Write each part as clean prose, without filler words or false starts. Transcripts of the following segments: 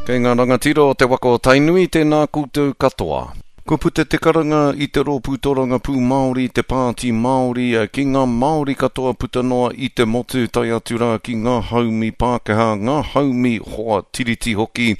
Kei ngā rangatira o te waka o Tainui, tēnā koutou katoa. Kua puta te karanga i te Rōpū Torangapū Māori, te Pāti Māori, ki ngā Māori katoa puta noa i te motu, tae atu rā ki ngā haumi Pākehā, ngā haumi hoa tiriti hoki,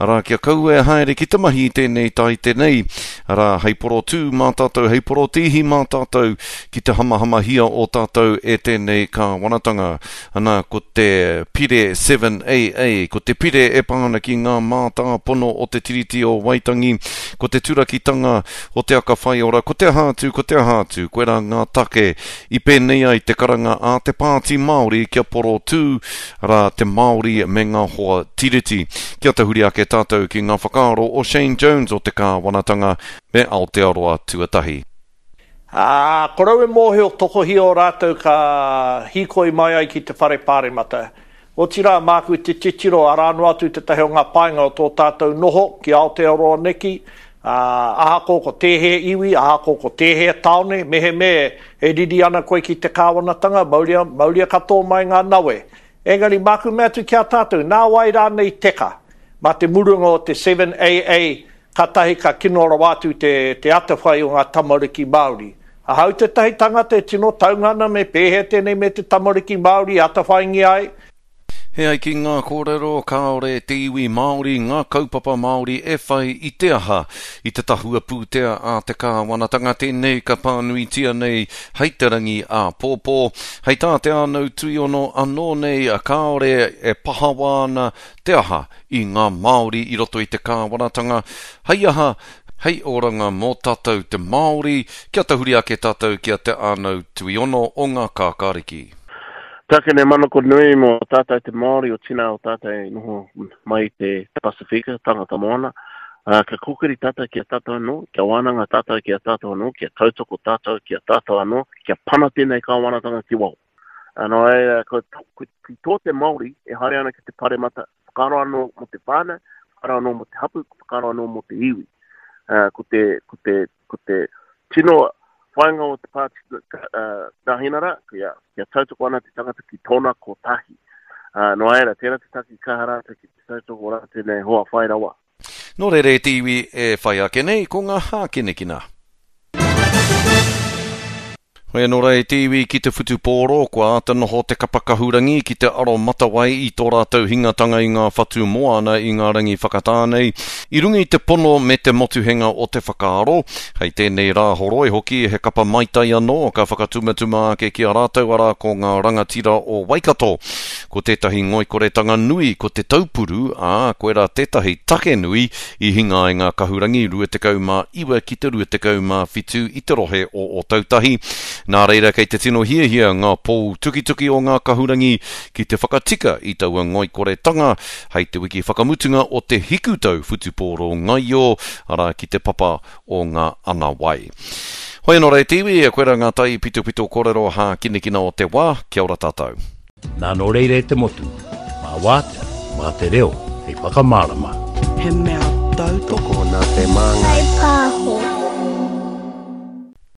arā, kia kaua e haere ki te mahi i tēnei taite nei, arā, hei porotū mā tātou, hei porotīhi mā tātou ki te hamahamahia o tātou e tēnei kāwanatanga. Ana, ko te Pire 7AA, ko te pire e pā ana ki ngā mātāpono o te Tiriti o Waitangi, ko te turakitanga o te aka whaiora, ko te aha atu, ko te aha atu, koirā ngā take i pēnei ai te karanga a te Pāti Māori kia porotū rā te Māori me ngā hoa Tiriti. Kia tahuri ake tātou ki ngā whakaaro o Shane Jones o te kāwanatanga me Aotearoa Tuatahi. Ā, korou e mōhio tokohia o rātou ka hīkoi mai ai ki te whare pāremata. Otirā, māku te titiro, arā noa atu tētahi o ngā painga o tō tātou noho ki Aotearoa neki, ā, ahako ko tēhea iwi, ahako ko tēhea tāone, mehemea e riri ana koe ki te kāwanatanga, mauria, mauria katoa mai ngā nawe. Engari, māku mea atu ki a tātou, nā wai rānei teka? Mā te murunga o te 7AA, kātahi ka kino rawa atu te, te atawhai o ngā tamariki Māori. Ahau tētahi tangata e tino taunga ana me pēhea tēnei me te tamariki Māori e atawhaingia ai? He ai ki ngā kōrero, kāore te iwi Māori, ngā kaupapa Māori e whai i te aha, i te tahua pūtea a te kāwanatanga tēnei ka pānuitia nei hei te rangi āpōpō. Hei tā Te Ānau Tuiono anō nei kāore e pahawa ana te aha i ngā Māori i roto i te kāwanatanga, hei aha, hei oranga mō tātou te Māori, kia tahuri ake tātou ki a Te Ānau Tuiono o Ngā Kākāriki. Take nei manako nui mō tātou te Māori o tina o tātou e noho mai i te Pasifika, tangata moana, ā, kia kōkiri tātou ki a tātou anō, kia wānanga tātou ki a tātou anō, kia tautoko tātou ki a tātou anō, kia pana tēnei kāwanatanga ki waho. Ā, nō reira, ko, ko, ki tō te Māori e haere ana ki te paremata, whakaaro anō mō te whānau, whakaaro anō mō te hapū, whakaaro anō mō te iwi. Ā, ko te, ko te, ko te tino whāinga o te pāti Nāhinara, kia, kia tautoko ana te tangata ki tōna kotahi. Uh, nō reira, tērā te take kaha rātou ki te tautoko rātou nei hoa whai rawa. Nō reira e te iwi e whai ake nei ko ngā hākinakina. Hoi anō rā e te iwi ki te whutupōro, kua āta noho te kapa kahurangi ki te aro matawai i tō rātou hingatanga i ngā whatu moana i ngā rangi whakatā nei, i runga i te pono me te motuhenga o te whakaaro. Hei tēnei Rāhoroi hoki he kapa maitai anō ka whakatumatuma ake ki a rātou arā ko ngā rangatira o Waikato. Ko tētahi ngoikoretanga nui ko te taupuru, ā, koirā tētahi take nui I hinga ai ngā kahurangi 29 ki te 27 i te rohe o Ōtautahi. Nā reira kei te tino hiahia ngā pou tukituki o ngā kahurangi ki te whakatika i taua ngoikoretanga hei te wiki whakamutunga o te hikutau whutupōro ngaio, arā ki te papa o ngā ana wai. Hoi anō rā e te iwi, koirā ngā taipitopito kōrero hākinakina o te wā, kia ora tātou. Nā nō reira e te motu, mā wātea, mā te reo hei whakamārama. He mea tautoko. Tokona te māngai. Whai pāho.